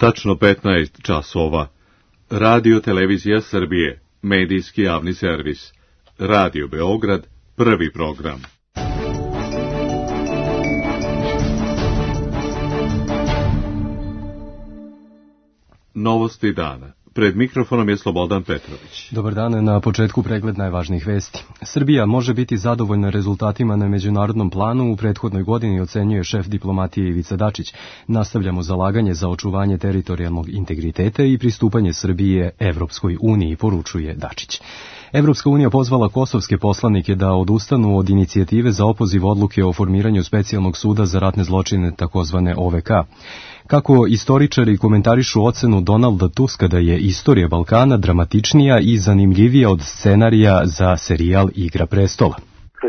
Tačno 15 časova. Radio Televizija Srbije, medijski javni servis. Radio Beograd, prvi program. Novosti dana. Pred mikrofonom je Slobodan Petrović. Dobar dan, na početku pregled najvažnijih vesti. Srbija može biti zadovoljna rezultatima na međunarodnom planu, u prethodnoj godini ocenjuje šef diplomatije Ivica Dačić. Nastavljamo zalaganje za očuvanje teritorijalnog integriteta i pristupanje Srbije Evropskoj uniji, poručuje Dačić. Evropska unija pozvala kosovske poslanike da odustanu od inicijative za opoziv odluke o formiranju specijalnog suda za ratne zločine, takozvane OVK. Kako istoričari komentarišu ocenu Donalda Tuska da je istorija Balkana dramatičnija i zanimljivija od scenarija za serijal Igra prestola.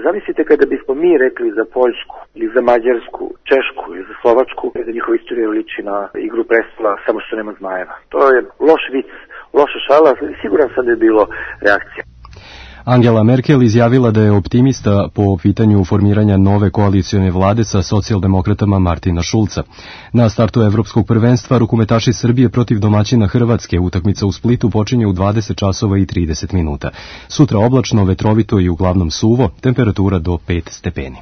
Zamislite kada bismo mi rekli za Poljsku ili za Mađarsku, Češku ili za Slovačku da njihova istorija liči na Igru prestola, samo što nema zmajeva. To je loš vic, loša šala, siguran sam da je bilo reakcija. Angela Merkel izjavila da je optimista po pitanju formiranja nove koalicione vlade sa socijaldemokratama Martina Šulca. Na startu evropskog prvenstva rukometaši Srbije protiv domaćina Hrvatske, utakmica u Splitu počinje u 20 časova i 30 minuta. Sutra oblačno, vetrovito i uglavnom suvo, temperatura do 5 stepeni.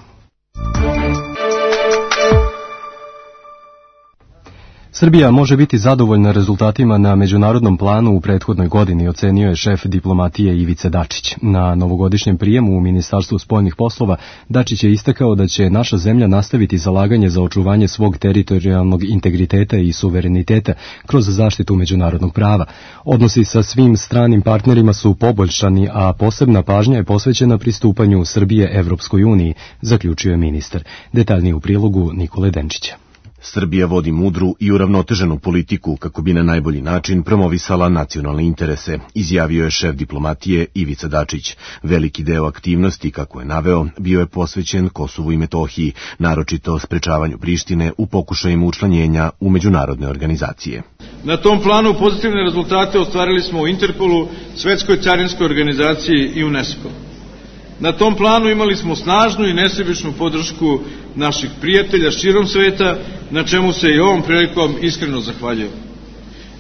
Srbija može biti zadovoljna rezultatima na međunarodnom planu u prethodnoj godini, ocenio je šef diplomatije Ivica Dačić. Na novogodišnjem prijemu u Ministarstvu spoljnih poslova Dačić je istakao da će naša zemlja nastaviti zalaganje za očuvanje svog teritorijalnog integriteta i suvereniteta kroz zaštitu međunarodnog prava. Odnosi sa svim stranim partnerima su poboljšani, a posebna pažnja je posvećena pristupanju Srbije Evropskoj uniji, zaključio je ministar. Detaljnije u prilogu Nikole Denčića. Srbija vodi mudru i uravnoteženu politiku kako bi na najbolji način promovisala nacionalne interese, izjavio je šef diplomatije Ivica Dačić. Veliki deo aktivnosti, kako je naveo, bio je posvećen Kosovu i Metohiji, naročito sprečavanju Prištine u pokušajima učlanjenja u međunarodne organizacije. Na tom planu pozitivne rezultate ostvarili smo u Interpolu, Svetskoj carinskoj organizaciji i UNESCO. Na tom planu imali smo snažnu i nesebičnu podršku naših prijatelja širom sveta, na čemu se i ovom prilikom iskreno zahvaljujem.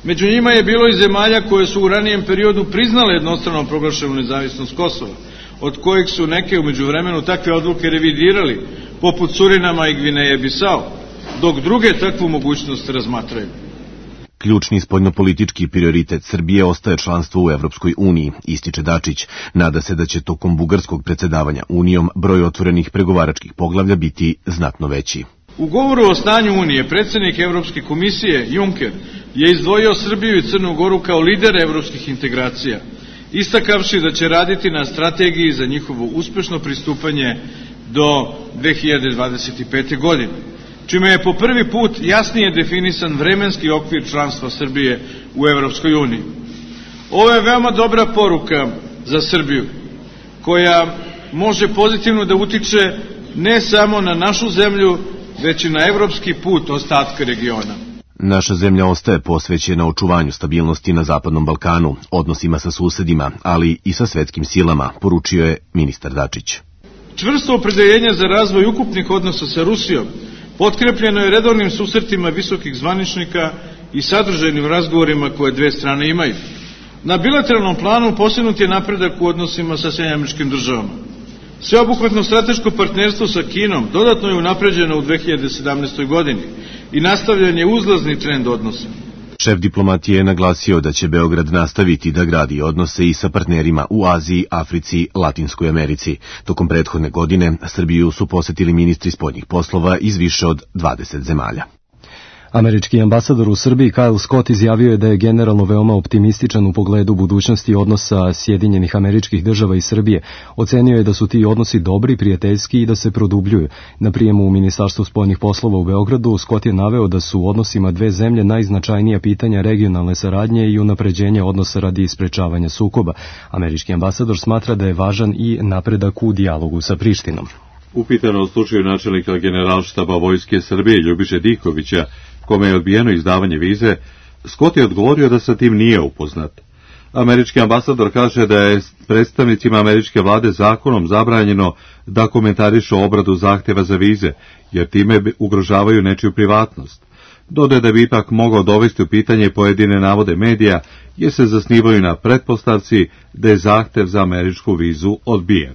Među njima je bilo i zemalja koje su u ranijem periodu priznale jednostrano proglašenu nezavisnost Kosova, od kojih su neke u međuvremenu takve odluke revidirali, poput Surinama i Gvineje Bisao, dok druge takvu mogućnost razmatraju. Ključni spoljnopolitički prioritet Srbije ostaje članstvo u Evropskoj uniji, ističe Dačić. Nada se da će tokom bugarskog predsjedavanja Unijom broj otvorenih pregovaračkih poglavlja biti znatno veći. U govoru o stanju Unije predsjednik Evropske komisije Juncker je izdvojio Srbiju i Crnu Goru kao lidere evropskih integracija, istakavši da će raditi na strategiji za njihovo uspešno pristupanje do 2025. godine, čime je po prvi put jasnije definisan vremenski okvir članstva Srbije u Evropskoj uniji. Ovo je veoma dobra poruka za Srbiju, koja može pozitivno da utiče ne samo na našu zemlju, već i na evropski put ostatka regiona. Naša zemlja ostaje posvećena očuvanju stabilnosti na Zapadnom Balkanu, odnosima sa susedima, ali i sa svetskim silama, poručio je ministar Dačić. Čvrsto opredeljenje za razvoj ukupnih odnosa sa Rusijom potkrepljeno je redovnim susretima visokih zvaničnika i sadržajnim razgovorima koje dve strane imaju. Na bilateralnom planu postignut je napredak u odnosima sa SAD-om. Sveobuhvatno strateško partnerstvo sa Kinom dodatno je unapređeno u 2017. godini i nastavljen je uzlazni trend odnosa. Šef diplomatije je naglasio da će Beograd nastaviti da gradi odnose i sa partnerima u Aziji, Africi, Latinskoj Americi. Tokom prethodne godine Srbiju su posetili ministri spoljnih poslova iz više od 20 zemalja. Američki ambasador u Srbiji Kyle Scott izjavio je da je generalno veoma optimističan u pogledu budućnosti odnosa Sjedinjenih Američkih Država i Srbije. Ocenio je da su ti odnosi dobri, prijateljski i da se produbljuju. Na prijemu u Ministarstvu spoljnih poslova u Beogradu Scott je naveo da su u odnosima dve zemlje najznačajnija pitanja regionalne saradnje i unapređenja odnosa radi sprečavanja sukoba. Američki ambasador smatra da je važan i napredak u dijalogu sa Prištinom. Upitano o slučaju načelnika Generalštaba Vojske Srbije Ljubiše Dikovića, kome je odbijeno izdavanje vize, Scott je odgovorio da sa tim nije upoznat. Američki ambasador kaže da je predstavnicima američke vlade zakonom zabranjeno da komentarišu obradu zahtjeva za vize, jer time ugrožavaju nečiju privatnost. Dodaje da bi ipak mogao dovesti u pitanje pojedine navode medija, jer se zasnivaju na pretpostavci da je zahtev za američku vizu odbijen.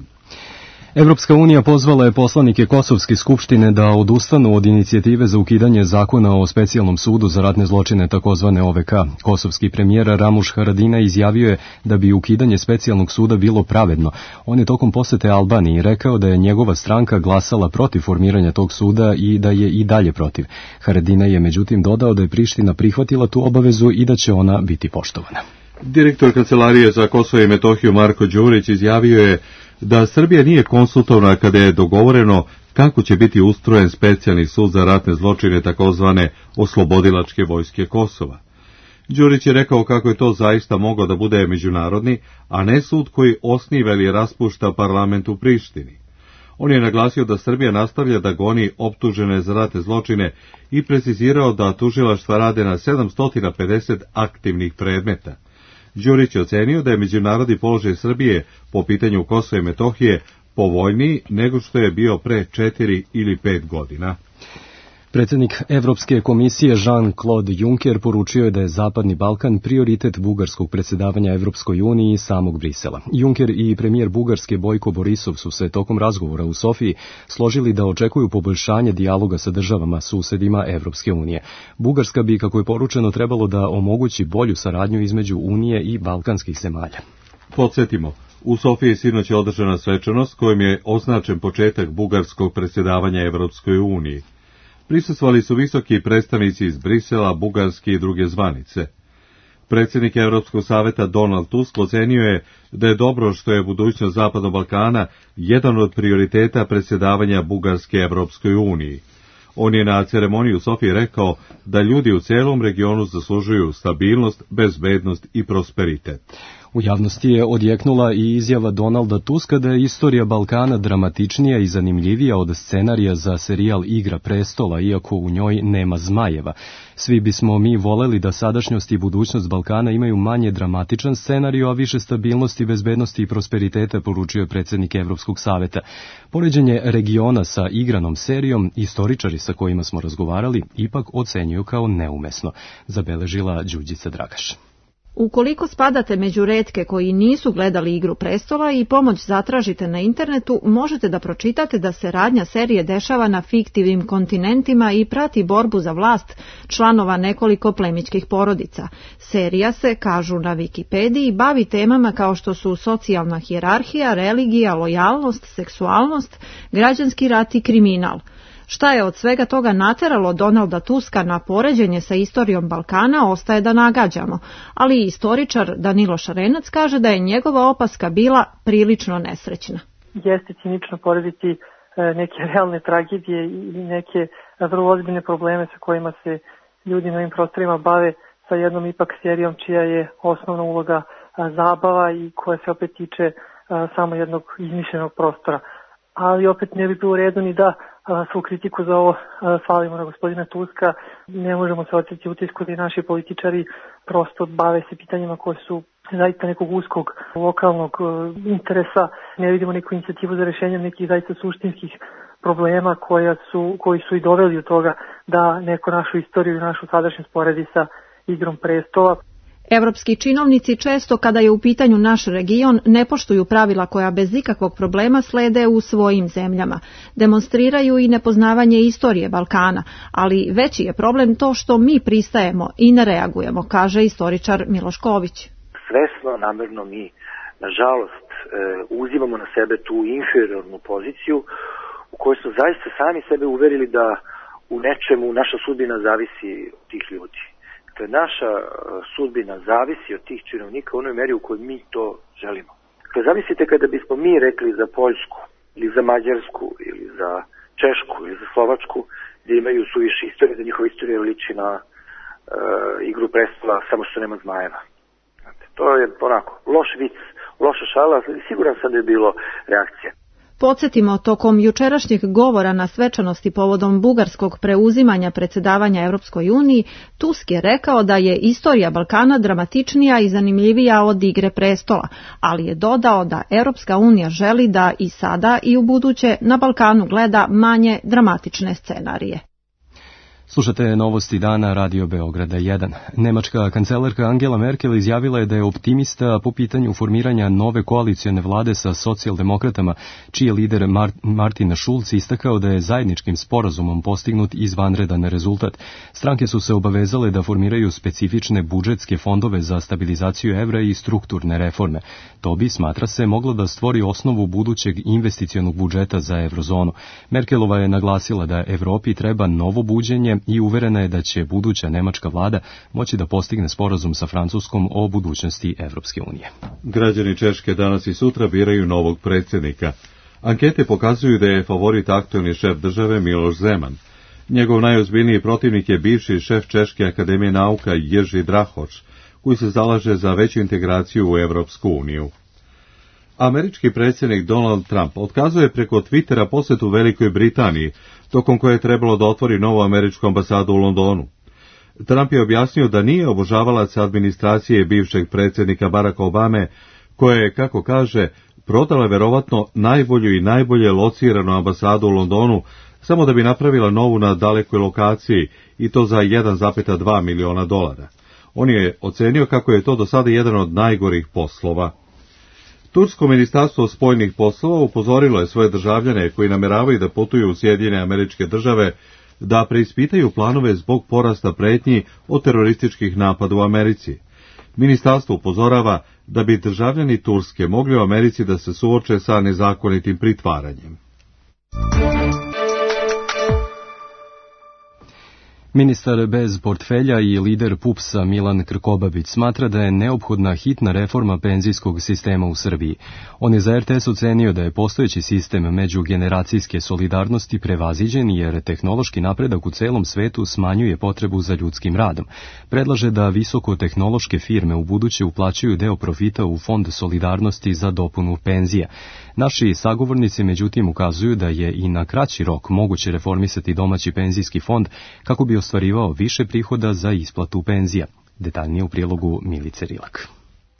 Evropska unija pozvala je poslanike Kosovske skupštine da odustanu od inicijative za ukidanje zakona o specijalnom sudu za ratne zločine takozvane OVK. Kosovski premijer Ramuš Haradinaj izjavio je da bi ukidanje specijalnog suda bilo pravedno. On je tokom posete Albaniji rekao da je njegova stranka glasala protiv formiranja tog suda i da je i dalje protiv. Haradinaj je međutim dodao da je Priština prihvatila tu obavezu i da će ona biti poštovana. Direktor Kancelarije za Kosovo i Metohiju Marko Đurić izjavio je da Srbija nije konsultovana kada je dogovoreno kako će biti ustrojen specijalni sud za ratne zločine takozvane oslobodilačke vojske Kosova. Đurić je rekao kako je to zaista moglo da bude međunarodni, a ne sud koji osniva ili raspušta parlament u Prištini. On je naglasio da Srbija nastavlja da goni optužene za ratne zločine i precizirao da tužilaštva rade na 750 aktivnih predmeta. Đurić je ocenio da je međunarodni položaj Srbije po pitanju Kosova i Metohije povoljniji nego što je bio pre 4 ili 5 godina. Predsjednik Evropske komisije Jean-Claude Juncker poručio je da je Zapadni Balkan prioritet bugarskog predsjedavanja Evropskoj uniji i samog Brisela. Juncker i premijer Bugarske Bojko Borisov su se tokom razgovora u Sofiji složili da očekuju poboljšanje dijaloga sa državama susedima Evropske unije. Bugarska bi, kako je poručeno, trebalo da omogući bolju saradnju između Unije i balkanskih zemalja. Podsjetimo, u Sofiji sinoć je održana svečanost kojom je označen početak bugarskog predsjedavanja Evropskoj uniji. Prisustvovali su visoki predstavnici iz Brisela, Bugarske i druge zvanice. Predsjednik Evropskog saveta Donald Tusk ocenio je da je dobro što je budućnost Zapadnog Balkana jedan od prioriteta predsjedavanja Bugarske Evropskoj uniji. On je na ceremoniji u Sofiji rekao da ljudi u celom regionu zaslužuju stabilnost, bezbednost i prosperitet. U javnosti je odjeknula i izjava Donalda Tuska da je istorija Balkana dramatičnija i zanimljivija od scenarija za serijal Igra prestola, iako u njoj nema zmajeva. Svi bismo mi voleli da sadašnjost i budućnost Balkana imaju manje dramatičan scenarij, a više stabilnosti, bezbednosti i prosperiteta, poručio je predsjednik Evropskog saveta. Poređenje regiona sa igranom serijom, istoričari sa kojima smo razgovarali ipak ocenjuju kao neumesno, zabeležila Đurđica Dragaš. Ukoliko spadate među retke koji nisu gledali Igru prestola i pomoć zatražite na internetu, možete da pročitate da se radnja serije dešava na fiktivnim kontinentima i prati borbu za vlast članova nekoliko plemićkih porodica. Serija se, kažu na Wikipediji, bavi temama kao što su socijalna hijerarhija, religija, lojalnost, seksualnost, građanski rat i kriminal. Šta je od svega toga nateralo Donalda Tuska na poređenje sa istorijom Balkana, ostaje da nagađamo, ali istoričar Danilo Šarenac kaže da je njegova opaska bila prilično nesrećna. Jeste cinično porediti neke realne tragedije i neke vrlo ozbiljne probleme sa kojima se ljudi na ovim prostorima bave sa jednom ipak serijom čija je osnovna uloga zabava i koja se opet tiče samo jednog izmišljenog prostora. Ali opet ne bi bilo u redu ni da svu kritiku za ovo svalimo na gospodina Tuska. Ne možemo se oteti utisku da i naši političari prosto bave se pitanjima koje su zaista nekog uskog lokalnog interesa. Ne vidimo neku inicijativu za rješenjem nekih zaista suštinskih problema koji su i doveli od toga da neko našu istoriju i našu sadašnjost poredi sa Igrom prestola. Evropski činovnici često, kada je u pitanju naš region, ne poštuju pravila koja bez ikakvog problema slede u svojim zemljama. Demonstriraju i nepoznavanje istorije Balkana, ali veći je problem to što mi pristajemo i ne reagujemo, kaže istoričar Miloš Ković. Svesno, namerno mi, nažalost, uzimamo na sebe tu inferiornu poziciju u kojoj smo zaista sami sebe uverili da u nečemu naša sudbina zavisi od tih ljudi. Dakle, naša sudbina zavisi od tih činovnika u onoj meri u kojoj mi to želimo. Dakle, zamislite kada bismo mi rekli za Poljsku, ili za Mađarsku, ili za Češku, ili za Slovačku, gdje imaju suviše istorije, da njihova istorija liči na Igru prestola, samo što nema zmajeva. Znate, to je onako loš vic, loša šala, siguran sam da je bilo reakcija. Podsjetimo, tokom jučerašnjeg govora na svečanosti povodom bugarskog preuzimanja predsjedavanja Europskoj uniji, Tusk je rekao da je istorija Balkana dramatičnija i zanimljivija od Igre prestola, ali je dodao da Europska unija želi da i sada i u buduće na Balkanu gleda manje dramatične scenarije. Slušate novosti dana Radio Beograda 1. Nemačka kancelarka Angela Merkel izjavila je da je optimista po pitanju formiranja nove koalicione vlade sa socijaldemokratama, čiji je lider Martin Schulz istakao da je zajedničkim sporazumom postignut izvanredan rezultat. Stranke su se obavezale da formiraju specifične budžetske fondove za stabilizaciju evra i strukturne reforme. To bi, smatra se, moglo da stvori osnovu budućeg investicionog budžeta za evrozonu. Merkelova je naglasila da Evropi treba novo buđenje i uverena je da će buduća nemačka vlada moći da postigne sporazum sa Francuskom o budućnosti Evropske unije. Građani Češke danas i sutra biraju novog predsjednika. Ankete pokazuju da je favorit aktuelni šef države Miloš Zeman. Njegov najozbiljniji protivnik je bivši šef Češke akademije nauka Jerzy Drahoš, koji se zalaže za veću integraciju u Evropsku uniju. Američki predsjednik Donald Trump otkazuje preko Twittera posjetu Velikoj Britaniji, tokom koje je trebalo da otvori novu američku ambasadu u Londonu. Trump je objasnio da nije obožavalac administracije bivšeg predsjednika Baracka Obame, koja je, kako kaže, prodala verovatno najbolju i najbolje lociranu ambasadu u Londonu, samo da bi napravila novu na dalekoj lokaciji, i to za $1,2 miliona. On je ocenio kako je to do sada jedan od najgorih poslova. Tursko ministarstvo spoljnih poslova upozorilo je svoje državljane koji nameravaju da putuju u Sjedinjene Američke Države da preispitaju planove zbog porasta pretnji od terorističkih napada u Americi. Ministarstvo upozorava da bi državljani Turske mogli u Americi da se suoče sa nezakonitim pritvaranjem. Ministar bez portfelja i lider PUPS-a Milan Krkobabić smatra da je neophodna hitna reforma penzijskog sistema u Srbiji. On je za RTS ocenio da je postojeći sistem međugeneracijske solidarnosti prevaziđen jer tehnološki napredak u celom svetu smanjuje potrebu za ljudskim radom. Predlaže da visokotehnološke firme u buduće uplaćuju deo profita u Fond solidarnosti za dopunu penzija. Naši sagovornici međutim ukazuju da je i na kraći rok moguće reformisati domaći penzijski fond kako bi ostvarivao više prihoda za isplatu penzija. Detaljnije u prilogu Milice Rilak.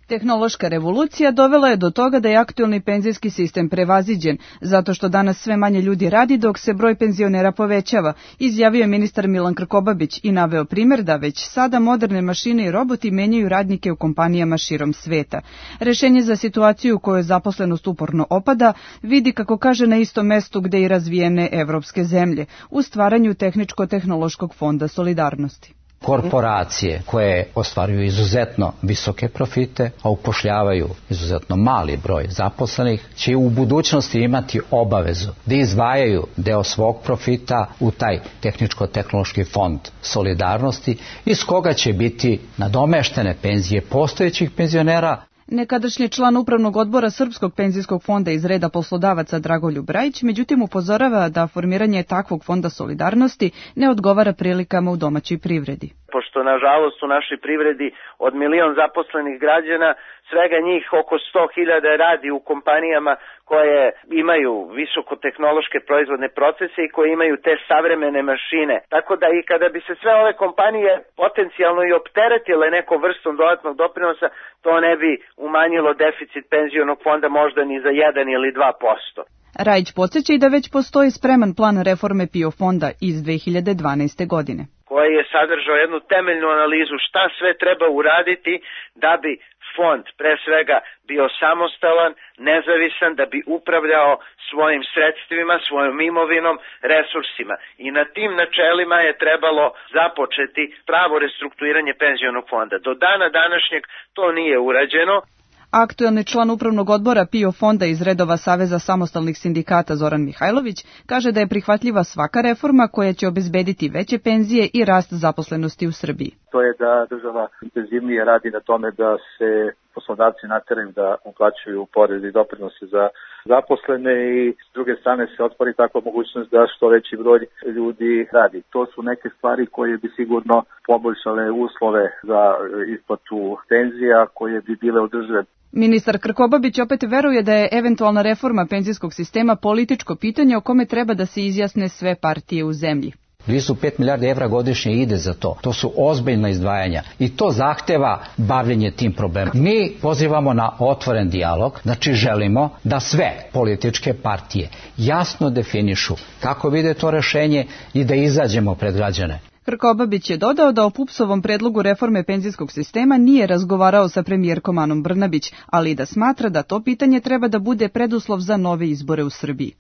Tehnološka revolucija dovela je do toga da je aktuelni penzijski sistem prevaziđen, zato što danas sve manje ljudi radi dok se broj penzionera povećava, izjavio je ministar Milan Krkobabić i naveo primjer da već sada moderne mašine i roboti menjaju radnike u kompanijama širom sveta. Rešenje za situaciju u kojoj zaposlenost uporno opada vidi, kako kaže, na istom mestu gde i razvijene evropske zemlje, u stvaranju tehničko-tehnološkog fonda solidarnosti. Korporacije koje ostvaruju izuzetno visoke profite, a upošljavaju izuzetno mali broj zaposlenih, će u budućnosti imati obavezu da izdvajaju deo svog profita u taj tehničko-tehnološki fond solidarnosti, iz koga će biti nadomeštene penzije postojećih penzionera. Nekadašnji član upravnog odbora Srpskog penzijskog fonda iz reda poslodavaca Dragoljub Brajić, međutim upozorava da formiranje takvog fonda solidarnosti ne odgovara prilikama u domaćoj privredi. Pošto nažalost u našoj privredi od 1 milion zaposlenih građana, svega njih oko 100.000 radi u kompanijama koje imaju visokotehnološke proizvodne procese i koje imaju te savremene mašine. Tako da i kada bi se sve ove kompanije potencijalno i opteretile nekom vrstom dodatnog doprinosa, to ne bi umanjilo deficit penzionog fonda možda ni za 1 ili 2%. Rajić podsjeća i da već postoji spreman plan reforme PIO fonda iz 2012. godine, koji je sadržao jednu temeljnu analizu šta sve treba uraditi da bi fond pre svega bio samostalan, nezavisan, da bi upravljao svojim sredstvima, svojom imovinom, resursima. I na tim načelima je trebalo započeti pravo restrukturiranje penzionog fonda. Do dana današnjeg to nije urađeno. Aktuelni član upravnog odbora PIO fonda iz redova Saveza samostalnih sindikata Zoran Mihajlović kaže da je prihvatljiva svaka reforma koja će obezbediti veće penzije i rast zaposlenosti u Srbiji. To je da država intenzivnije radi na tome da se poslodavci nateraju da uplaćuju porez i doprinose za zaposlene i s druge strane se otvori takva mogućnost da što veći broj ljudi radi. To su neke stvari koje bi sigurno poboljšale uslove za isplatu penzija koje bi bile održive. Ministar Krkobabić opet veruje da je eventualna reforma penzijskog sistema političko pitanje o kome treba da se izjasne sve partije u zemlji. Blizu 5 milijardi evra godišnje ide za to. To su ozbiljna izdvajanja i to zahteva bavljenje tim problemom. Mi pozivamo na otvoren dijalog, znači želimo da sve političke partije jasno definišu kako vide to rešenje i da izađemo pred građane. Krkobabić je dodao da o PUPS-ovom predlogu reforme penzijskog sistema nije razgovarao sa premijerkom Anom Brnabić, ali i da smatra da to pitanje treba da bude preduslov za nove izbore u Srbiji.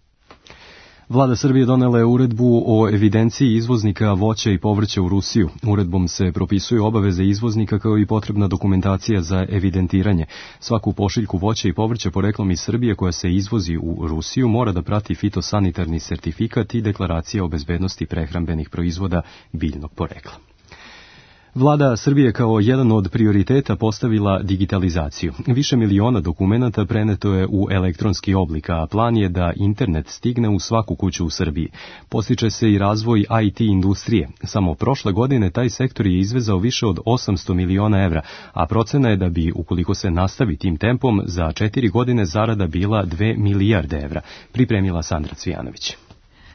Vlada Srbije donela je uredbu o evidenciji izvoznika voća i povrća u Rusiju. Uredbom se propisuju obaveze izvoznika kao i potrebna dokumentacija za evidentiranje. Svaku pošiljku voća i povrća poreklom iz Srbije koja se izvozi u Rusiju mora da prati fitosanitarni sertifikat i deklaracija o bezbednosti prehrambenih proizvoda biljnog porekla. Vlada Srbije kao jedan od prioriteta postavila digitalizaciju. Više miliona dokumenata preneto je u elektronski oblik, a plan je da internet stigne u svaku kuću u Srbiji. Postiče se i razvoj IT industrije. Samo prošle godine taj sektor je izvezao više od 800 miliona evra, a procena je da bi, ukoliko se nastavi tim tempom, za 4 godine zarada bila 2 milijarde evra, pripremila Sandra Cvijanović.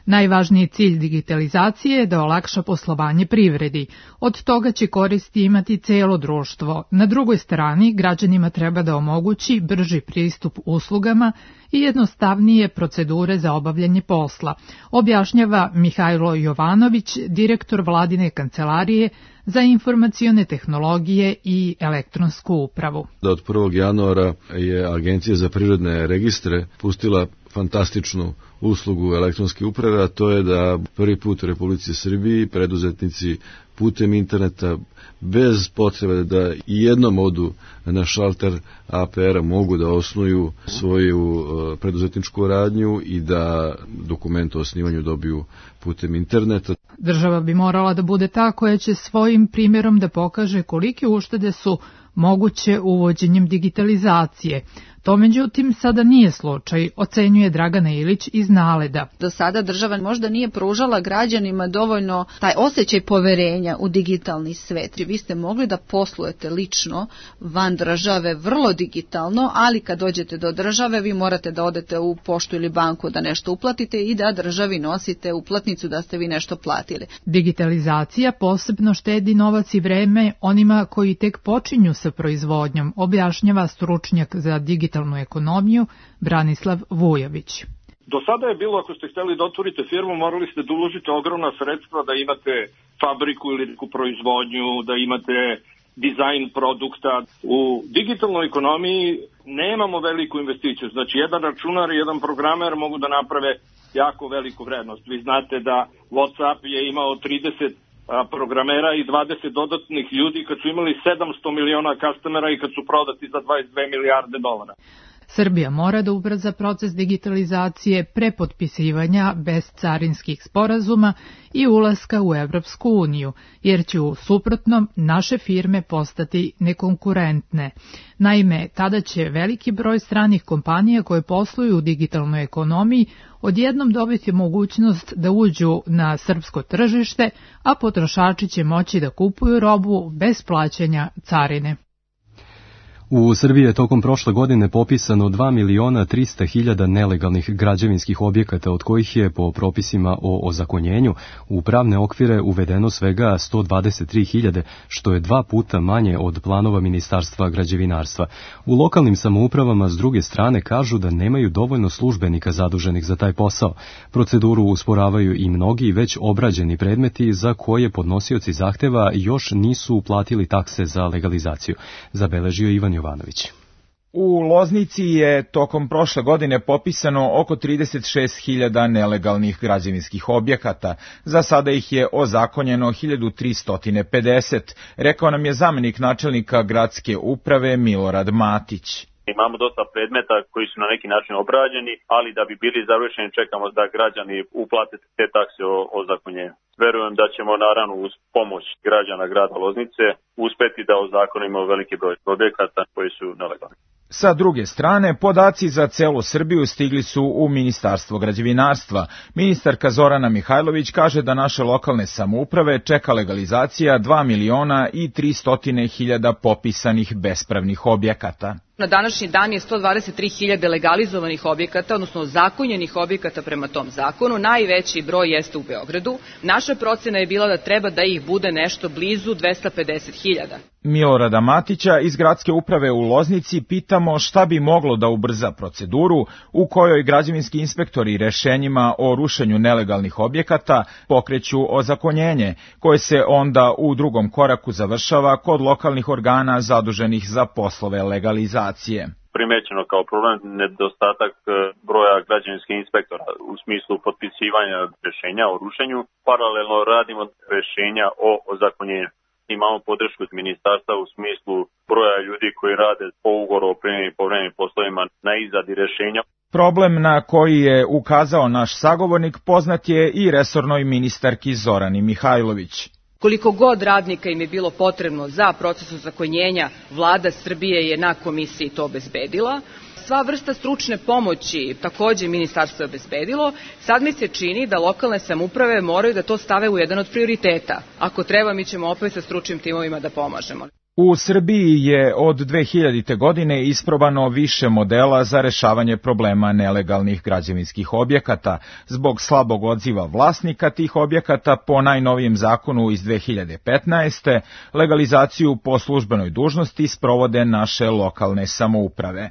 Najvažniji cilj digitalizacije je da olakša poslovanje privredi. Od toga će koristi imati celo društvo. Na drugoj strani, građanima treba da omogući brži pristup uslugama i jednostavnije procedure za obavljanje posla, objašnjava Mihajlo Jovanović, direktor Vladine kancelarije za informacione tehnologije i elektronsku upravu. Da od 1. januara je Agencija za privredne registre pustila fantastičnu uslugu elektronske uprave, a to je da prvi put u Republici Srbiji preduzetnici putem interneta, bez potrebe da i jednom odu na šalter APR-a, mogu da osnuju svoju preduzetničku radnju i da dokument o osnivanju dobiju putem interneta. Država bi morala da bude ta koja će svojim primjerom da pokaže kolike uštede su moguće uvođenjem digitalizacije. To međutim sada nije slučaj, ocenjuje Dragana Ilić iz Naleda. Do sada država možda nije pružala građanima dovoljno taj osjećaj poverenja u digitalni svet. Vi ste mogli da poslujete lično van države vrlo digitalno, ali kad dođete do države vi morate da odete u poštu ili banku da nešto uplatite i da državi nosite uplatnicu da ste vi nešto platili. Digitalizacija posebno štedi novac i vreme onima koji tek počinju sa proizvodnjom, objašnjava stručnjak za digitalnu ekonomiju Branislav Vujović. Do sada je bilo, ako ste hteli da otvorite firmu, morali ste da uložite ogromna sredstva, da imate fabriku ili neku proizvodnju, da imate dizajn produkta. U digitalnoj ekonomiji nemamo veliku investiciju. Znači, jedan računar i jedan programer mogu da naprave jako veliku vrednost. Vi znate da WhatsApp je imao 30 programera i 20 dodatnih ljudi kad su imali 700 miliona customera i kad su prodati za 22 milijarde dolara. Srbija mora da ubrza proces digitalizacije pre potpisivanja bezcarinskih sporazuma i ulaska u Evropsku uniju, jer će u suprotnom naše firme postati nekonkurentne. Naime, tada će veliki broj stranih kompanija koje posluju u digitalnoj ekonomiji odjednom dobiti mogućnost da uđu na srpsko tržište, a potrošači će moći da kupuju robu bez plaćanja carine. U Srbiji je tokom prošle godine popisano 2.300.000 nelegalnih građevinskih objekata, od kojih je po propisima o ozakonjenju u pravne okvire uvedeno svega 123.000, što je 2 puta manje od planova Ministarstva građevinarstva. U lokalnim samoupravama s druge strane kažu da nemaju dovoljno službenika zaduženih za taj posao. Proceduru usporavaju i mnogi već obrađeni predmeti za koje podnosioci zahteva još nisu uplatili takse za legalizaciju, zabeležio Ivan Jovanović. U Loznici je tokom prošle godine popisano oko 36.000 nelegalnih građevinskih objekata. Za sada ih je ozakonjeno 1.350, rekao nam je zamenik načelnika gradske uprave Milorad Matić. Imamo dosta predmeta koji su na neki način obrađeni, ali da bi bili završeni čekamo da građani uplate te takse o ozakonjenju. Verujem da ćemo naravno uz pomoć građana grada Loznice uspeti da ozakonimo veliki broj objekata koji su nelegalni. Sa druge strane, podaci za celu Srbiju stigli su u Ministarstvo građevinarstva. Ministarka Zorana Mihajlović kaže da naše lokalne samouprave čeka legalizacija 2.300.000 popisanih bespravnih objekata. Na današnji dan je 123.000 legalizovanih objekata, odnosno zakonjenih objekata prema tom zakonu. Najveći broj jeste u Beogradu. Naša procena je bila da treba da ih bude nešto blizu 250.000. Milorada Matića iz gradske uprave u Loznici pitamo šta bi moglo da ubrza proceduru u kojoj građevinski inspektori rešenjima o rušenju nelegalnih objekata pokreću ozakonjenje, koje se onda u drugom koraku završava kod lokalnih organa zaduženih za poslove legalizacije. Primećeno kao problem nedostatak broja građevinskih inspektora u smislu potpisivanja rešenja o rušenju. Paralelno radimo rešenja o ozakonjenju. Imamo podršku od ministarstva u smislu broja ljudi koji rade po ugovoru o privremenim i povremenim poslovima na izradi rešenja. Problem na koji je ukazao naš sagovornik poznat je i resornoj ministarki Zorani Mihajlović. Koliko god radnika im je bilo potrebno za proces ozakonjenja, vlada Srbije je na komisiji to obezbedila. Sva vrsta stručne pomoći takođe ministarstvo je obezbedilo. Sad mi se čini da lokalne samouprave moraju da to stave u jedan od prioriteta. Ako treba, mi ćemo opet sa stručnim timovima da pomažemo. U Srbiji je od 2000. godine isprobano više modela za rešavanje problema nelegalnih građevinskih objekata. Zbog slabog odziva vlasnika tih objekata po najnovijem zakonu iz 2015. legalizaciju po službenoj dužnosti sprovode naše lokalne samouprave.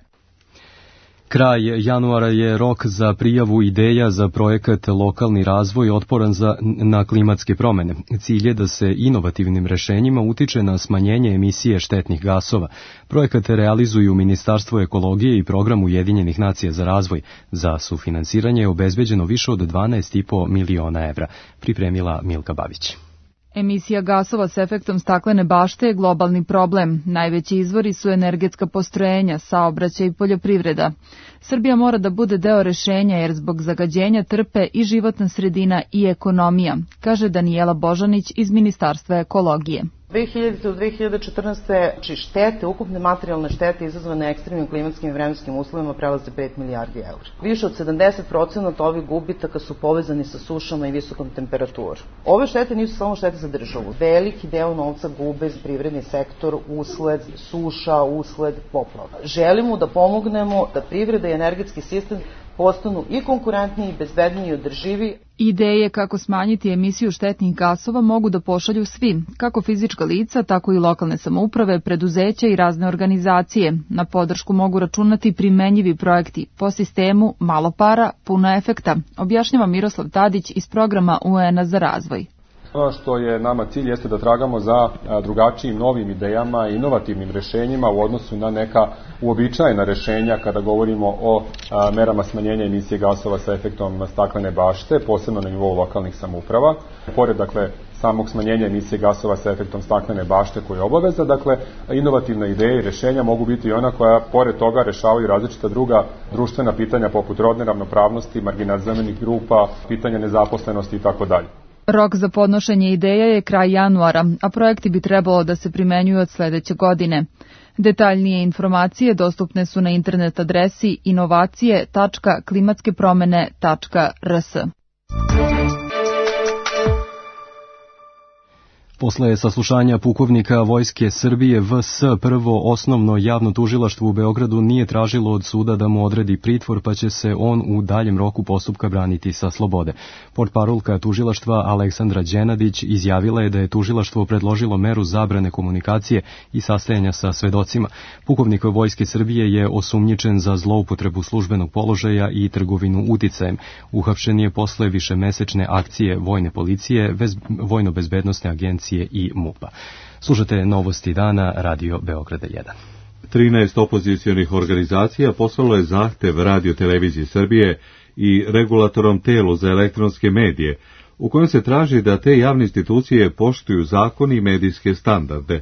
Kraj januara je rok za prijavu ideja za projekat Lokalni razvoj otporan na klimatske promene. Cilj je da se inovativnim rešenjima utiče na smanjenje emisije štetnih gasova. Projekat realizuju Ministarstvo ekologije i Program Ujedinjenih nacija za razvoj. Za sufinansiranje je obezbeđeno više od 12,5 miliona evra, pripremila Milka Babić. Emisija gasova s efektom staklene bašte je globalni problem. Najveći izvori su energetska postrojenja, saobraćaj i poljoprivreda. Srbija mora da bude deo rešenja jer zbog zagađenja trpe i životna sredina i ekonomija, kaže Danijela Božanić iz Ministarstva ekologije. 2000. do 2014. štete, ukupne materijalne štete izazvane ekstremnim klimatskim i vremenskim uslovima prelaze 5 milijardi eura. Više od 70% ovih gubitaka su povezani sa sušama i visokom temperaturom. Ove štete nisu samo štete za državu. Veliki deo novca gube za privredni sektor usled suša, usled poplava. Želimo da pomognemo da privreda i energetski sistem postanu i konkurentniji, bezbedniji i održivi. Ideje kako smanjiti emisiju štetnih gasova mogu da pošalju svi, kako fizička lica, tako i lokalne samouprave, preduzeća i razne organizacije. Na podršku mogu računati primenjivi projekti po sistemu malo para, puno efekta, objašnjava Miroslav Tadić iz programa UN-a za razvoj. Ono što je nama cilj jeste da tragamo za drugačijim novim idejama i inovativnim rešenjima u odnosu na neka uobičajena rešenja kada govorimo o merama smanjenja emisije gasova sa efektom staklene bašte, posebno na nivou lokalnih samouprava. Pored, samog smanjenja emisije gasova sa efektom staklene bašte koja je obaveza, inovativna ideja i rešenja mogu biti i ona koja, pored toga, rešavaju različita druga društvena pitanja poput rodne ravnopravnosti, marginalizovanih grupa, pitanja nezaposlenosti itd. Rok za podnošenje ideja je kraj januara, a projekti bi trebalo da se primenjuju od sledeće godine. Detaljnije informacije dostupne su na internet adresi inovacije.klimatske-promene.rs. Posle saslušanja pukovnika Vojske Srbije VS, prvo osnovno javno tužilaštvo u Beogradu nije tražilo od suda da mu odredi pritvor, pa će se on u daljem roku postupka braniti sa slobode. Portparolka tužilaštva Aleksandra Đenadić izjavila je da je tužilaštvo predložilo meru zabrane komunikacije i sastajanja sa svedocima. Pukovnik Vojske Srbije je osumnjičen za zloupotrebu službenog položaja i trgovinu uticajem. Uhapšen je posle višemesečne akcije vojne policije, vojno-bezbednosne agencije i MUP-a. Slušate Novosti dana, Radio Beograda 1. 13 opozicionih organizacija poslalo je zahtev Radio televizije Srbije i Regulatorom telu za elektronske medije, u kojem se traži da te javne institucije poštuju zakon i medijske standarde.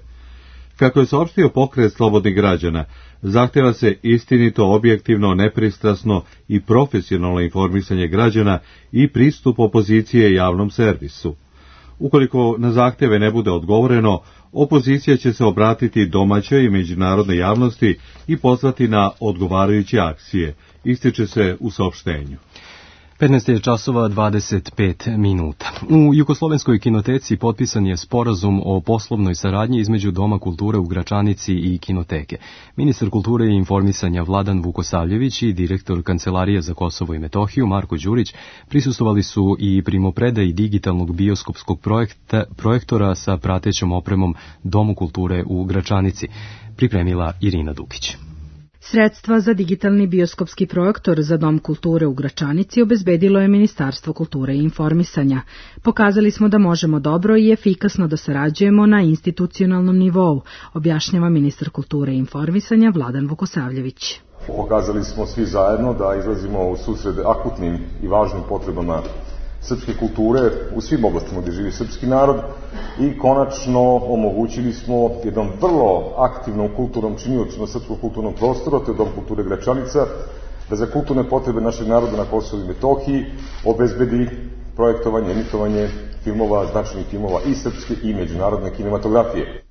Kako je saopštio Pokret slobodnih građana, zahteva se istinito, objektivno, nepristrasno i profesionalno informisanje građana i pristup opozicije javnom servisu. Ukoliko na zahteve ne bude odgovoreno, opozicija će se obratiti domaćoj i međunarodnoj javnosti i pozvati na odgovarajuće akcije, ističe se u saopštenju. 15 je časova 25 minuta. U Jugoslovenskoj kinoteci potpisan je sporazum o poslovnoj saradnji između Doma kulture u Gračanici i kinoteke. Ministar kulture i informisanja Vladan Vukosavljević i direktor Kancelarije za Kosovo i Metohiju Marko Đurić prisustvovali su i primopredaji digitalnog bioskopskog projektora sa pratećom opremom Domu kulture u Gračanici. Pripremila Irina Dukić. Sredstva za digitalni bioskopski projektor za Dom kulture u Gračanici obezbedilo je Ministarstvo kulture i informisanja. Pokazali smo da možemo dobro i efikasno da sarađujemo na institucionalnom nivou, objašnjava ministar kulture i informisanja Vladan Vukosavljević. Pokazali smo svi zajedno da izlazimo u susret akutnim i važnim potrebama srpske kulture u svim oblastima gdje živi srpski narod i konačno omogućili smo jednom vrlo aktivnom kulturnom činiocu na srpskog kulturnog prostora, to je Dom kulture Gračanica, da za kulturne potrebe našeg naroda na Kosovu i Metohiji obezbedi projektovanje, emitovanje filmova, značajnih filmova i srpske i međunarodne kinematografije.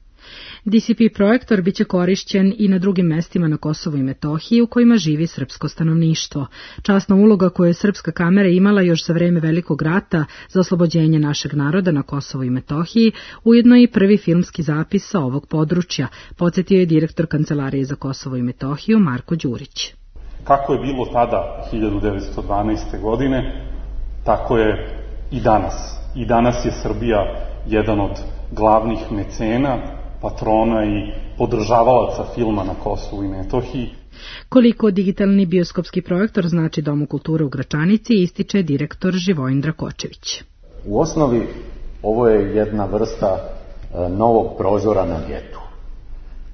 DCP projektor biće korišćen i na drugim mestima na Kosovu i Metohiji u kojima živi srpsko stanovništvo. Časna uloga koju je srpska kamera imala još za vreme Velikog rata za oslobođenje našeg naroda na Kosovu i Metohiji, ujedno i prvi filmski zapis sa ovog područja, podsjetio je direktor Kancelarije za Kosovo i Metohiju Marko Đurić. Kako je bilo tada 1912. godine, tako je i danas. I danas je Srbija jedan od glavnih mecena, patrona i podržavalaca filma na Kosovu i Metohiji. Koliko digitalni bioskopski projektor znači Domu kulture u Gračanici, ističe direktor Živojin Drakočević. U osnovi ovo je jedna vrsta novog prozora na getu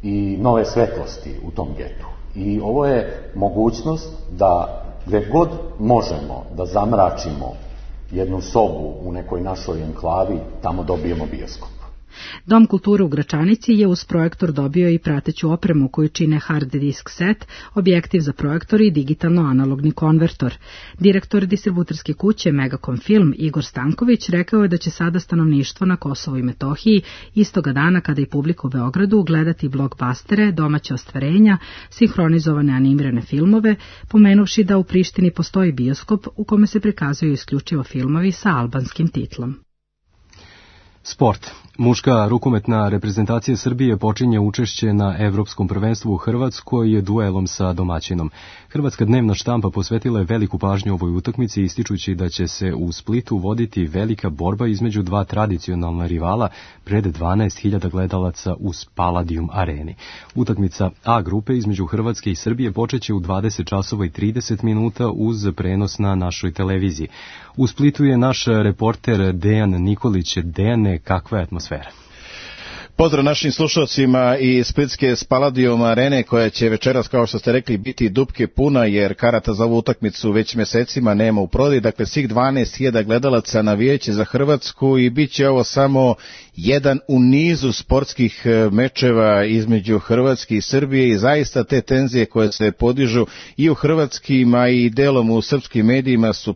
i nove svetlosti u tom getu. I ovo je mogućnost da gdje god možemo da zamračimo jednu sobu u nekoj našoj enklavi, tamo dobijemo bioskop. Dom kulture u Gračanici je uz projektor dobio i prateću opremu koju čine hard disk set, objektiv za projektor i digitalno-analogni konvertor. Direktor distributerske kuće Megacom Film Igor Stanković rekao je da će sada stanovništvo na Kosovu i Metohiji istoga dana kada i publika u Beogradu gledati blockbustere, domaće ostvarenja, sinhronizovane animirane filmove, pomenuvši da u Prištini postoji bioskop u kome se prikazuju isključivo filmovi sa albanskim titlom. Sport. Muška rukometna reprezentacija Srbije počinje učešće na Evropskom prvenstvu u Hrvatskoj duelom sa domaćinom. Hrvatska dnevna štampa posvetila je veliku pažnju ovoj utakmici, ističući da će se u Splitu voditi velika borba između dva tradicionalna rivala pred 12.000 gledalaca u Palladium areni. Utakmica A grupe između Hrvatske i Srbije počeće u 20 časova i 30 minuta uz prenos na našoj televiziji. U Splitu je naš reporter Dejan Nikolić. Dejane, kakva je atmosfera? Pozdrav našim slušalcima iz splitske Palladium arene koja će večeras, kao što ste rekli, biti dupke puna jer karata za ovu utakmicu već mesecima nema u prodaji. Dakle, svih 12.000 gledalaca navijaće za Hrvatsku i bit će ovo samo jedan u nizu sportskih mečeva između Hrvatske i Srbije i zaista te tenzije koje se podižu i u hrvatskim, a i delom u srpskim medijima su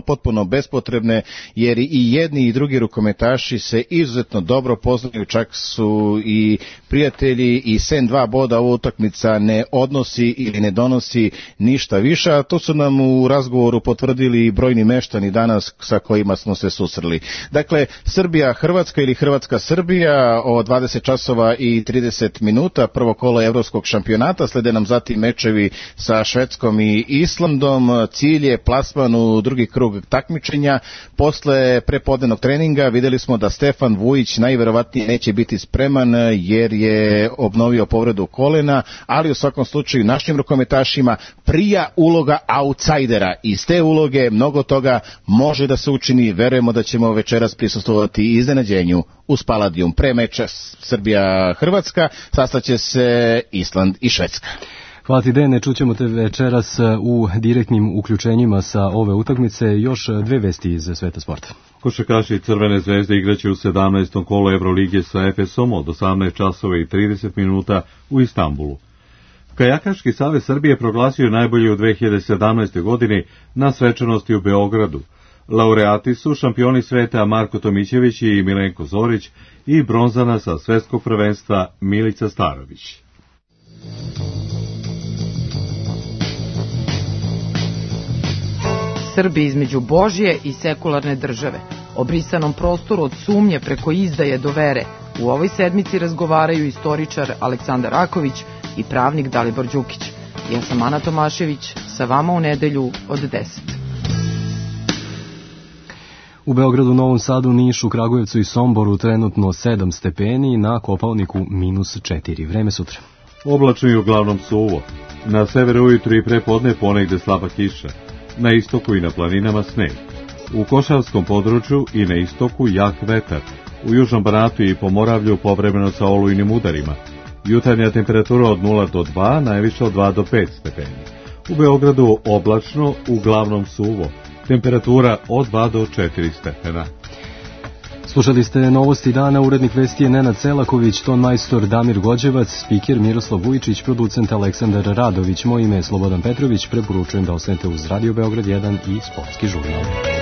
potpuno bespotrebne jer i jedni i drugi rukometaši se izuzetno dobro poznaju, čak su i prijatelji i sem 2 boda ova utakmica ne odnosi ili ne donosi ništa više, a to su nam u razgovoru potvrdili i brojni meštani danas sa kojima smo se susreli. Dakle, Srbija-Hrvatska ili Hrvatska-Srbija o 20 časova i 30 minuta, prvo kolo evropskog šampionata, slede nam zatim mečevi sa Švedskom i Islandom, cilj je plasman u drugi krug takmičenja. Posle prepodnevnog treninga videli smo da Stefan Vujić najverovatnije neće biti spreman jer je obnovio povredu kolena, ali u svakom slučaju našim rukometašima prija uloga outsidera. Iz te uloge mnogo toga može da se učini, verujemo da ćemo večeras prisustvovati iznenađenju uz Palladium. Pre meča Srbija-Hrvatska sastaće se Island i Švedska. Hvala ti, Dene, čućemo te večeras u direktnim uključenjima sa ove utakmice. Još 2 vesti iz sveta sporta. Košarkaši Crvene zvezde igraće u 17. kolu Evrolige sa Efesom od 18 časova i 30 minuta u Istanbulu. Kajakaški savez Srbije proglasio je najbolji u 2017. godini na svečanosti u Beogradu. Laureati su šampioni sveta Marko Tomićević i Milenko Zorić i bronzana sa svetskog prvenstva Milica Starović. Srbi između Božje i sekularne države. O brisanom prostoru od sumnje preko izdaje do vere u ovoj sedmici razgovaraju istoričar Aleksandar Raković i pravnik Dalibor Đukić. Ja sam Ana Tomašević, sa vama u nedelju od 10. U Beogradu, Novom Sadu, Nišu, Kragujevcu i Somboru trenutno 7 stepeni, na Kopaoniku -4. Vreme sutra. Oblačno i uglavnom suvo. Na severu ujutru i prepodne ponegde slaba kiša. Na istoku i na planinama sneg. U Košavskom području i na istoku jak vetar. U Južnom Banatu i Pomoravlju povremeno sa olujnim udarima. Jutarnja temperatura od 0 do 2, najviše od 2 do 5 stepeni. U Beogradu oblačno, uglavnom suvo. Temperatura od 2 do 4 stepena. Slušali ste novosti dana, urednik vesti je Nenad Selaković, ton majstor Damir Gođevac, spiker Miroslav Vujičić, producent Aleksandar Radović, moje ime je Slobodan Petrović, preporučujem da ostanete uz Radio Beograd 1 i Sportski žurnal.